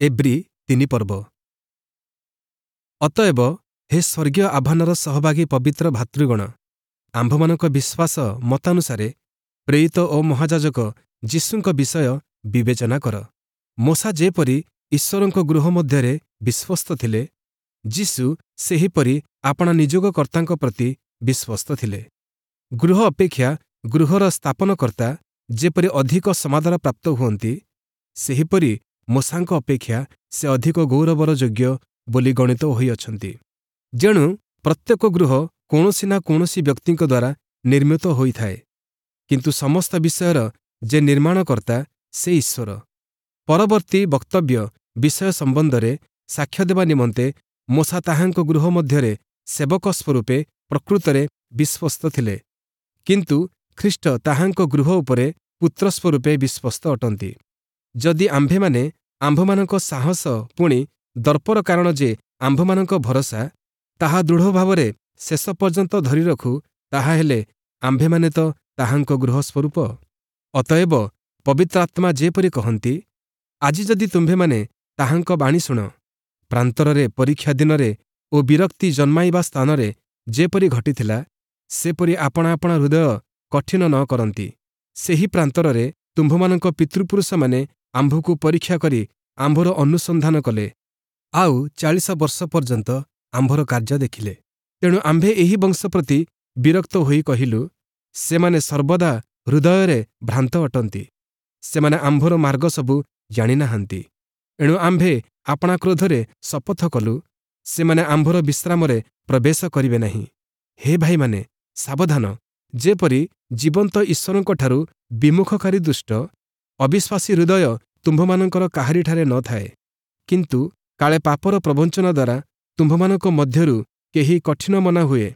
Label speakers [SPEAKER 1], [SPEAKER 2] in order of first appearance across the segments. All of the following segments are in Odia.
[SPEAKER 1] ଏବ୍ରୀ 3 ପର୍ବ। ଅତଏବ ହେ ସ୍ୱର୍ଗୀୟ ଆହ୍ୱାନର ସହଭାଗୀ ପବିତ୍ର ଭାତୃଗଣ, ଆମ୍ଭମାନଙ୍କ ବିଶ୍ୱାସ ମତାନୁସାରେ ପ୍ରେରିତ ଓ ମହାଯାଜକ ଯୀଶୁଙ୍କ ବିଷୟ ବିବେଚନା କର। ମୋଶା ଯେପରି ଈଶ୍ୱରଙ୍କ ଗୃହ ମଧ୍ୟରେ ବିଶ୍ୱସ୍ତ ଥିଲେ, ଯୀଶୁ ସେହିପରି ଆପଣା ନିଯୋଗକର୍ତ୍ତାଙ୍କ ପ୍ରତି ବିଶ୍ୱସ୍ତ ଥିଲେ। ଗୃହ ଅପେକ୍ଷା ଗୃହର ସ୍ଥାପନକର୍ତ୍ତା ଯେପରି ଅଧିକ ସମାଦର ପ୍ରାପ୍ତ ହୁଅନ୍ତି, ସେହିପରି ମୋଶାଙ୍କ ଅପେକ୍ଷା ସେ ଅଧିକ ଗୌରବର ଯୋଗ୍ୟ ବୋଲି ଗଣିତ ହୋଇଅଛନ୍ତି। ଯେଣୁ ପ୍ରତ୍ୟେକ ଗୃହ କୌଣସି ନା କୌଣସି ବ୍ୟକ୍ତିଙ୍କ ଦ୍ୱାରା ନିର୍ମିତ ହୋଇଥାଏ, କିନ୍ତୁ ସମସ୍ତ ବିଷୟର ଯେ ନିର୍ମାଣକର୍ତ୍ତା ସେ ଈଶ୍ୱର। ପରବର୍ତ୍ତୀ ବକ୍ତବ୍ୟ ବିଷୟ ସମ୍ବନ୍ଧରେ ସାକ୍ଷ୍ୟ ଦେବା ନିମନ୍ତେ ମୋଶା ତାହାଙ୍କ ଗୃହ ମଧ୍ୟରେ ସେବକ ସ୍ୱରୂପେ ପ୍ରକୃତରେ ବିଶ୍ୱସ୍ତ ଥିଲେ, କିନ୍ତୁ ଖ୍ରୀଷ୍ଟ ତାହାଙ୍କ ଗୃହ ଉପରେ ପୁତ୍ର ସ୍ୱରୂପେ ବିଶ୍ୱସ୍ତ ଅଟନ୍ତି। ଯଦି ଆମ୍ଭେମାନେ ଆମ୍ଭମାନଙ୍କ ସାହସ ପୁଣି ଦର୍ପର କାରଣ ଯେ ଆମ୍ଭମାନଙ୍କ ଭରସା, ତାହା ଦୃଢ଼ ଭାବରେ ଶେଷ ପର୍ଯ୍ୟନ୍ତ ଧରି ରଖୁ, ତାହାହେଲେ ଆମ୍ଭେମାନେ ତ ତାହାଙ୍କ ଗୃହ ସ୍ୱରୂପ। ଅତଏବ ପବିତ୍ରାତ୍ମା ଯେପରି କହନ୍ତି, ଆଜି ଯଦି ତୁମ୍ଭେମାନେ ତାହାଙ୍କ ବାଣୀ ଶୁଣ, ପ୍ରାନ୍ତରରେ ପରୀକ୍ଷା ଦିନରେ ଓ ବିରକ୍ତି ଜନ୍ମାଇବା ସ୍ଥାନରେ ଯେପରି ଘଟିଥିଲା, ସେପରି ଆପଣା ଆପଣା ହୃଦୟ କଠିନ ନ କରନ୍ତି। ସେହି ପ୍ରାନ୍ତରରେ ତୁମ୍ଭମାନଙ୍କ ପିତୃପୁରୁଷମାନେ ଆମ୍ଭକୁ ପରୀକ୍ଷା କରି ଆମ୍ଭର ଅନୁସନ୍ଧାନ କଲେ, ଆଉ 40 ବର୍ଷ ପର୍ଯ୍ୟନ୍ତ ଆମ୍ଭର କାର୍ଯ୍ୟ ଦେଖିଲେ। ତେଣୁ ଆମ୍ଭେ ଏହି ବଂଶ ପ୍ରତି ବିରକ୍ତ ହୋଇ କହିଲୁ, ସେମାନେ ସର୍ବଦା ହୃଦୟରେ ଭ୍ରାନ୍ତ ଅଟନ୍ତି, ସେମାନେ ଆମ୍ଭର ମାର୍ଗ ସବୁ ଜାଣିନାହାନ୍ତି। ଏଣୁ ଆମ୍ଭେ ଆପଣା କ୍ରୋଧରେ ଶପଥ କଲୁ, ସେମାନେ ଆମ୍ଭର ବିଶ୍ରାମରେ ପ୍ରବେଶ କରିବେ ନାହିଁ। ହେ ଭାଇମାନେ, ସାବଧାନ, ଯେପରି ଜୀବନ୍ତ ଈଶ୍ୱରଙ୍କଠାରୁ ବିମୁଖକାରୀ ଦୁଷ୍ଟ ଅବିଶ୍ୱାସୀ ହୃଦୟ ତୁମ୍ଭମାନଙ୍କର କାହାରିଠାରେ ନ ଥାଏ, କିନ୍ତୁ କାଳେ ପାପର ପ୍ରବଞ୍ଚନା ଦ୍ୱାରା ତୁମ୍ଭମାନଙ୍କ ମଧ୍ୟରୁ କେହି କଠିନ ମନା ହୁଏ,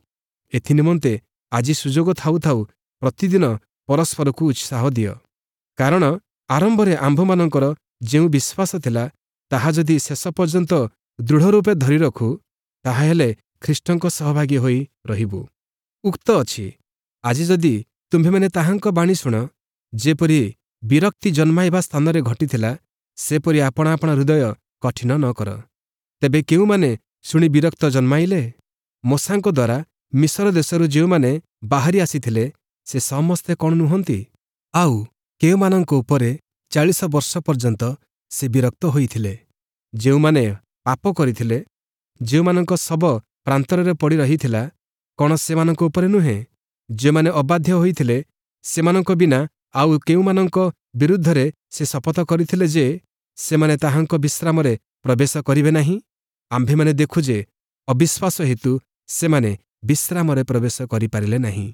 [SPEAKER 1] ଏଥିନିମନ୍ତେ ଆଜି ସୁଯୋଗ ଥାଉ ଥାଉ ପ୍ରତିଦିନ ପରସ୍ପରକୁ ଉତ୍ସାହ ଦିଅ। କାରଣ ଆରମ୍ଭରେ ଆମ୍ଭମାନଙ୍କର ଯେଉଁ ବିଶ୍ୱାସ ଥିଲା, ତାହା ଯଦି ଶେଷ ପର୍ଯ୍ୟନ୍ତ ଦୃଢ଼ ରୂପେ ଧରି ରଖୁ, ତାହାହେଲେ ଖ୍ରୀଷ୍ଟଙ୍କ ସହଭାଗୀ ହୋଇ ରହିବୁ। ଉକ୍ତ ଅଛି, ଆଜି ଯଦି ତୁମ୍ଭେମାନେ ତାହାଙ୍କ ବାଣୀ ଶୁଣ, ଯେପରି ବିରକ୍ତି ଜନ୍ମାଇବା ସ୍ଥାନରେ ଘଟିଥିଲା, ସେପରି ଆପଣା ଆପଣା ହୃଦୟ କଠିନ ନ କର। ତେବେ କେଉଁମାନେ ଶୁଣି ବିରକ୍ତ ଜନ୍ମାଇଲେ? ମୋଶାଙ୍କ ଦ୍ୱାରା ମିଶର ଦେଶରୁ ଯେଉଁମାନେ ବାହାରି ଆସିଥିଲେ, ସେ ସମସ୍ତେ କ'ଣ ନୁହନ୍ତି? ଆଉ କେଉଁମାନଙ୍କ ଉପରେ 40 ବର୍ଷ ପର୍ଯ୍ୟନ୍ତ ସେ ବିରକ୍ତ ହୋଇଥିଲେ? ଯେଉଁମାନେ ପାପ କରିଥିଲେ, ଯେଉଁମାନଙ୍କ ଶବ ପ୍ରାନ୍ତରରେ ପଡ଼ି ରହିଥିଲା, କ'ଣ ସେମାନଙ୍କ ଉପରେ ନୁହେଁ? ଯେଉଁମାନେ ଅବାଧ୍ୟ ହୋଇଥିଲେ, ସେମାନଙ୍କ ବିନା ଆଉ କେଉଁମାନଙ୍କ ବିରୁଦ୍ଧରେ ସେ ଶପଥ କରିଥିଲେ ଯେ ସେମାନେ ତାହାଙ୍କ ବିଶ୍ରାମରେ ପ୍ରବେଶ କରିବେ ନାହିଁ? ଆମ୍ଭେମାନେ ଦେଖୁ ଯେ ଅବିଶ୍ୱାସ ହେତୁ ସେମାନେ ବିଶ୍ରାମରେ ପ୍ରବେଶ କରିପାରିଲେ ନାହିଁ।